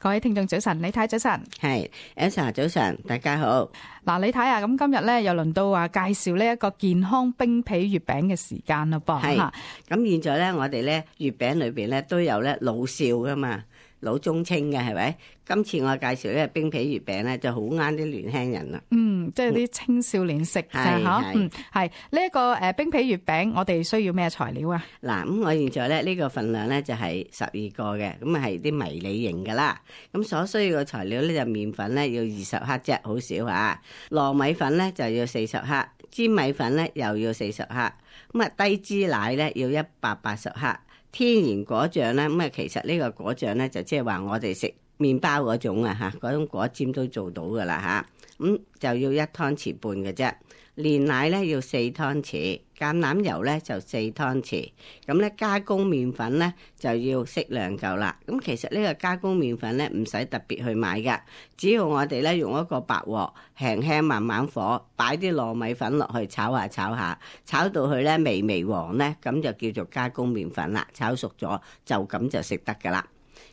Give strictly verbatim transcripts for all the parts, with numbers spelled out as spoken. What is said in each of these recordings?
各位聽眾早晨，李太早晨，係 Elsa 早晨，大家好。嗱，李太啊，咁今日咧又輪到話介紹呢一個健康冰皮月餅嘅時間啦噃。係咁，現在咧我哋咧月餅裏邊咧都有咧老少噶嘛，老中青嘅係咪？今次我介紹呢個冰皮月餅咧就好啱啲年輕人啦。嗯，即係啲青少年食嘅嚇。嗯，係呢一個誒冰皮月餅，我哋需要咩材料啊？嗱，咁我現在咧呢個份量咧就係十二個嘅，咁啊係啲迷你型噶啦。咁所需要嘅材料咧就麵粉咧要二十克啫，好少啊。糯米粉咧就要四十克，粘米粉咧又要四十克，咁啊低脂奶咧要一百八十克。天然果醬咧，咁啊其實呢個果醬咧就即係話我哋食麵包嗰種啊嚇，嗰種果醬都做到噶啦嚇，咁就要一湯匙半嘅啫。煉奶咧要四湯匙，橄欖油咧就四湯匙。咁咧加工麵粉咧就要適量夠啦。咁其實呢個加工麵粉咧唔使特別去買噶，只要我哋咧用一個白鑊，輕輕慢慢火，擺啲糯米粉落去炒下炒下，炒到佢咧微微黃咧，咁就叫做加工麵粉啦。炒熟咗就咁就食得噶啦。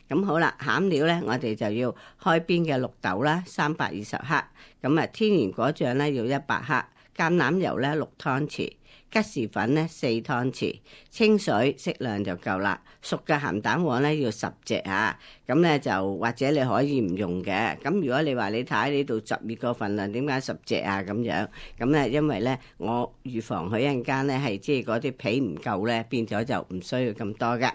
咁好啦，餡料咧，我哋就要開邊嘅綠豆啦，三百二十克。咁啊，天然果醬咧要一百克，橄欖油咧六湯匙，吉士粉咧四湯匙，清水適量就夠啦。熟嘅鹹蛋黃咧要十隻啊，咁咧就或者你可以唔用嘅。咁如果你話你睇呢度十二個份量，點解十隻啊咁樣？咁咧因為咧我預防佢一陣間咧係即係嗰啲皮唔夠咧，變咗就唔需要咁多嘅。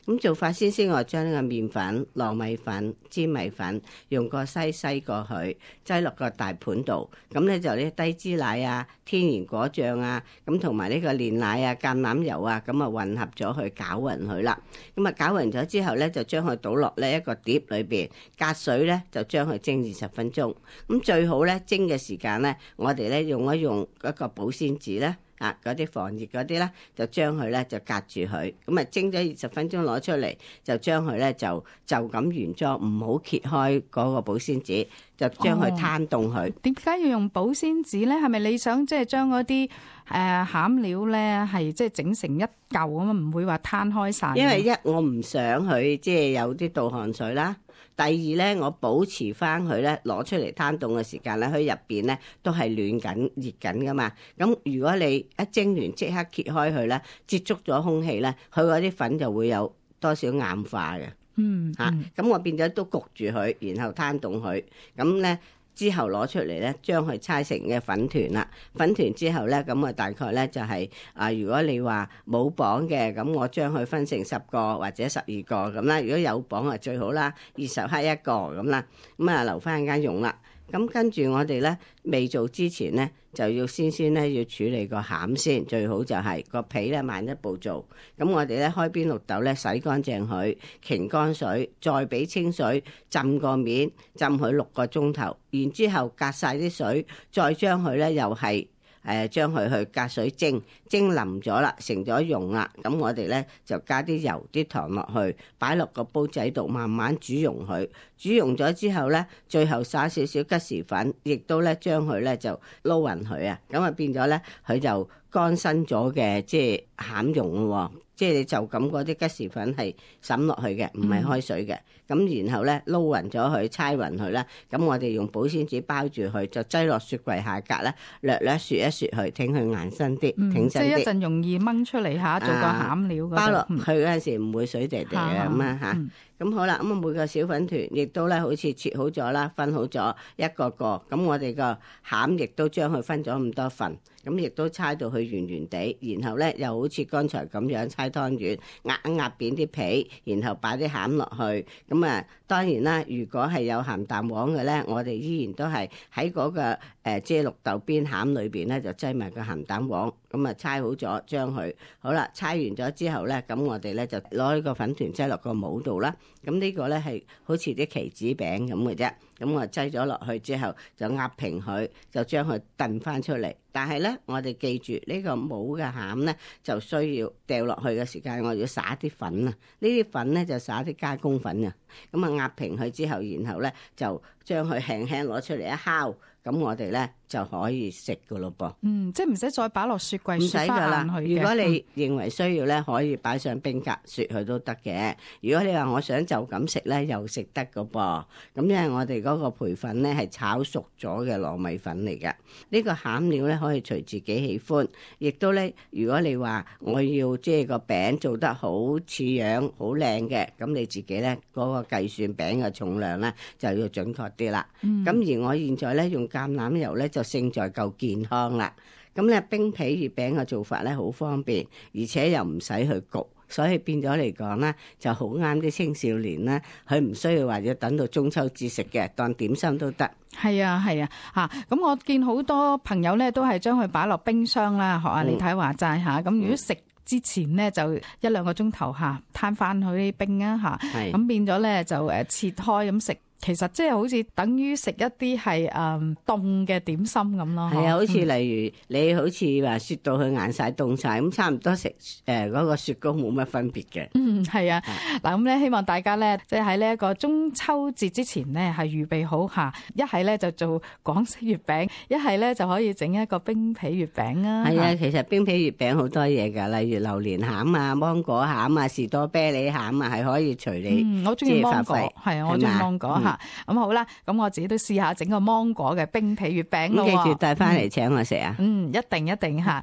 咁做法先先，我將呢個麵粉、糯米粉、粘米粉用個篩篩過去，擠落個大盤度。咁咧就呢低脂奶啊、天然果醬啊，咁同埋呢個煉奶啊、橄欖油啊，咁啊混合咗去攪勻佢啦。咁啊攪勻咗之後咧，就將佢倒落呢一個碟裏邊，隔水咧就將佢蒸二十分鐘。咁最好咧蒸嘅時間咧，我哋咧用一用一個保鮮紙咧。啊！嗰啲防熱嗰啲咧，就將佢咧就隔住佢，咁啊蒸咗二十分鐘攞出嚟，就將佢咧就就咁原裝，唔好揭開嗰個保鮮紙，就將佢攤凍佢。點解要用保鮮紙咧？係咪你想即係將嗰啲誒餡料咧係即係整成一嚿咁啊？唔會話攤開晒。因為一我唔想佢即係有啲倒汗水啦。第二咧，我保持翻佢咧攞出嚟攤凍嘅時間咧，佢入邊咧都係暖緊、熱緊噶嘛。咁如果你一蒸完即刻揭開佢咧，接觸咗空氣咧，佢嗰啲粉就會有多少硬化嘅。嗯，嚇、嗯，咁、啊、我變咗都焗住佢，然後攤凍佢，咁咧。之後攞出嚟咧，將佢搓成嘅粉團啦。粉團之後咧，咁啊大概咧就係、是、啊，如果你話冇磅嘅，咁我將佢分成十個或者十二個咁啦。如果有磅啊最好啦，二十克一個咁啦。咁啊留翻間用啦。咁跟住我哋咧未做之前咧，就要先先咧要處理個餡先，最好就係個皮咧慢一步做。咁我哋咧開邊綠豆咧洗乾淨佢，擎乾水，再俾清水浸個面，浸佢六個鐘頭。然之後隔晒啲水，再將佢咧又係誒將佢去隔水蒸，蒸腍咗啦，成咗溶啦。咁我哋咧就加啲油、啲糖落去，擺落個煲仔度慢慢煮溶佢。煮溶咗之後咧，最後撒少少吉士粉，亦都咧將佢咧就撈勻佢啊。咁啊變咗咧，佢就乾身咗嘅，即係餡蓉咯。即係你就咁嗰啲吉士粉係滲落去嘅，唔係開水嘅。咁、嗯、然後咧撈勻咗佢，搓勻佢啦。咁我哋用保鮮紙包住佢，就擠落雪櫃下格咧，略略雪一雪佢，挺佢硬身啲，嗯、挺身啲。即係一陣容易掹出嚟嚇，做個餡料、啊。包落去嗰陣時唔會水滴滴嘅咁啊嚇。咁、嗯、好啦，咁啊每個小粉團亦都咧好似切好咗啦，分好咗一個個。咁我哋個餡亦都將佢分咗咁多份。咁亦都搓到佢圓圓地，然後咧又好似剛才咁樣搓湯圓，壓一壓扁啲皮，然後擺啲餡落去。咁啊，當然啦，如果係有鹹蛋黃嘅咧，我哋依然都係喺嗰個誒、呃、即係綠豆邊餡裏邊咧，就擠埋個鹹蛋黃。咁啊，搓好咗，將佢好啦，搓完咗之後咧，咁我哋咧就攞呢個粉團擠落個模度啦。咁呢個咧係好似啲棋子餅咁嘅啫。咁我擠咗落去之後，就壓平佢，就將佢燉翻出嚟。但係咧，我哋記住呢個冇嘅餡咧，就需要掉落去嘅時間，我要撒啲粉啊。呢啲粉咧就撒啲加工粉啊。咁啊壓平佢之後，然後咧就將佢輕輕攞出嚟一烤，咁我哋咧就可以食噶咯噃。嗯，即係唔使再擺落雪櫃，唔使噶啦。如果你認為需要咧，可以擺上冰格雪佢都得嘅。如果你話我想就咁食咧，又食得噶噃。咁因為我哋嗰個培粉咧係炒熟咗嘅糯米粉嚟嘅。呢個餡料咧可以隨自己喜歡，亦都咧如果你話我要即係個餅做得好似樣好靚嘅，咁你自己咧嗰個計算餅嘅重量咧就要準確啲啦。咁、嗯、而我現在咧用橄欖油咧就勝在夠健康啦。咁咧冰皮月餅嘅做法咧好方便，而且又唔使去焗，所以變咗嚟講咧就好啱啲青少年啦。佢唔需要話要等到中秋節食嘅，當點心都得。係啊係啊嚇！咁、啊、我見好多朋友咧都係將佢擺落冰箱啦，學阿李太話齋嚇。咁、嗯、如果食之前咧就一兩個鐘頭嚇攤翻佢啲冰啊嚇，咁變咗咧就誒切開咁食。其實即係好似等於食一啲係誒凍嘅點心咁咯。係啊，好似例如、嗯、你好似話雪到佢硬晒凍晒，咁差唔多食誒嗰個雪糕冇乜分別嘅。嗯，係啊。嗱咁咧，希望大家咧即係喺呢一個中秋節之前呢，係預備好嚇，一係咧就做港式月餅，一係咧就可以整一個冰皮月餅啊。係啊，其實冰皮月餅好多嘢㗎，例如榴蓮餡啊、芒果餡啊、士多啤梨餡啊，係可以隨你、嗯、我中意芒果，係啊，我中意芒果嚇。咁、嗯、好啦，咁我自己都試下整個芒果嘅冰皮月餅咯。記住帶翻嚟請我食啊！嗯，一定一定嚇。